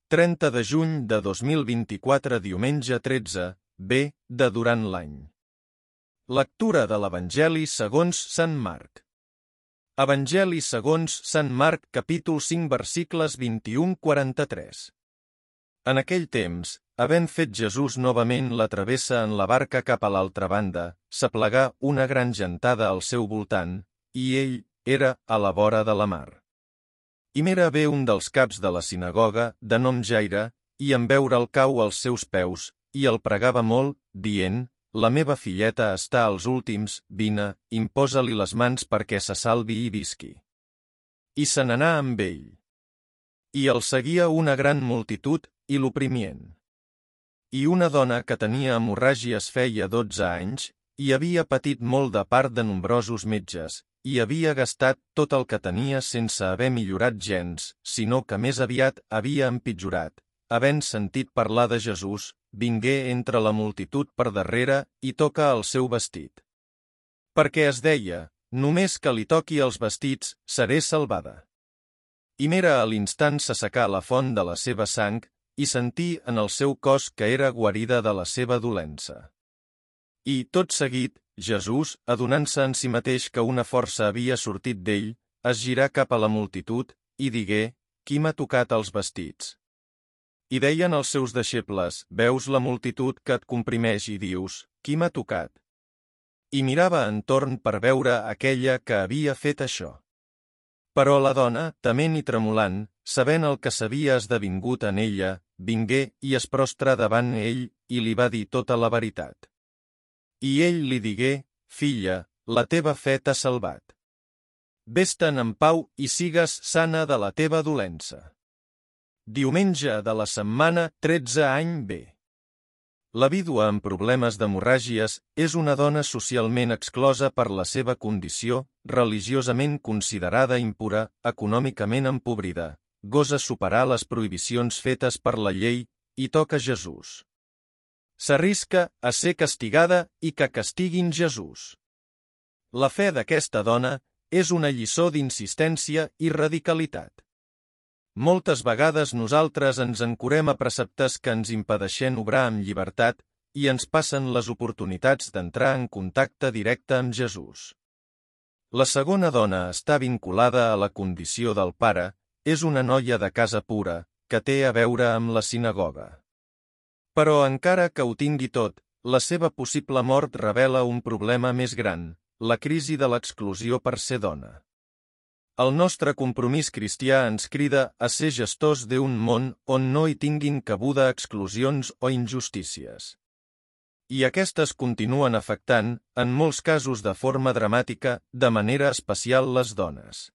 30 de juny de 2024, diumenge 13, B, de durant l'any. Lectura de l'Evangeli segons Sant Marc. Evangeli segons Sant Marc, capítol 5, versicles 21-43. En aquell temps, havent fet Jesús novament la travessa en la barca cap a l'altra banda, s'aplegà una gran gentada al seu voltant, i ell era a la vora de la mar. I m'era bé un dels caps de la sinagoga, de nom Jaire, i en veure'l cau als seus peus, i el pregava molt, dient: La meva filleta està als últims, vine, imposa-li les mans perquè se salvi i visqui. I se n'anà amb ell. I el seguia una gran multitud, i l'oprimien. I una dona que tenia hemorràgies feia 12 anys, i havia patit molt de part de nombrosos metges, i havia gastat tot el que tenia sense haver millorat gens, sinó que més aviat havia empitjorat. Havent sentit parlar de Jesús, vingué entre la multitud per darrere i toca el seu vestit. Perquè es deia: només que li toqui els vestits, seré salvada. I m'era a l'instant s'assecà la font de la seva sang, i sentí en el seu cos que era guarida de la seva dolença. I, tot seguit, Jesús, adonant-se en si mateix que una força havia sortit d'ell, es girà cap a la multitud, i digué: Qui m'ha tocat els vestits? I deien els seus deixebles: Veus la multitud que et comprimeix i dius: Qui m'ha tocat? I mirava entorn per veure aquella que havia fet això. Però la dona, tement i tremolant, sabent el que s'havia esdevingut en ella, vingué i es prostra davant ell, i li va dir tota la veritat. I ell li digué: Filla, la teva fe t'ha salvat. Ves-te'n en pau i sigues sana de la teva dolença. Diumenge de la setmana 13 any B. La vídua amb problemes d'hemorràgies és una dona socialment exclosa per la seva condició, religiosament considerada impura, econòmicament empobrida, gosa superar les prohibicions fetes per la llei, i toca Jesús. S'arrisca a ser castigada i que castiguin Jesús. La fe d'aquesta dona és una lliçó d'insistència i radicalitat. Moltes vegades nosaltres ens ancorem a preceptes que ens impedeixen obrar amb llibertat i ens passen les oportunitats d'entrar en contacte directe amb Jesús. La segona dona està vinculada a la condició del pare, és una noia de casa pura, que té a veure amb la sinagoga. Però encara que ho tingui tot, la seva possible mort revela un problema més gran, la crisi de l'exclusió per ser dona. El nostre compromís cristià ens crida a ser gestors d'un món on no hi tinguin cabuda exclusions o injustícies. I aquestes continuen afectant, en molts casos de forma dramàtica, de manera especial les dones.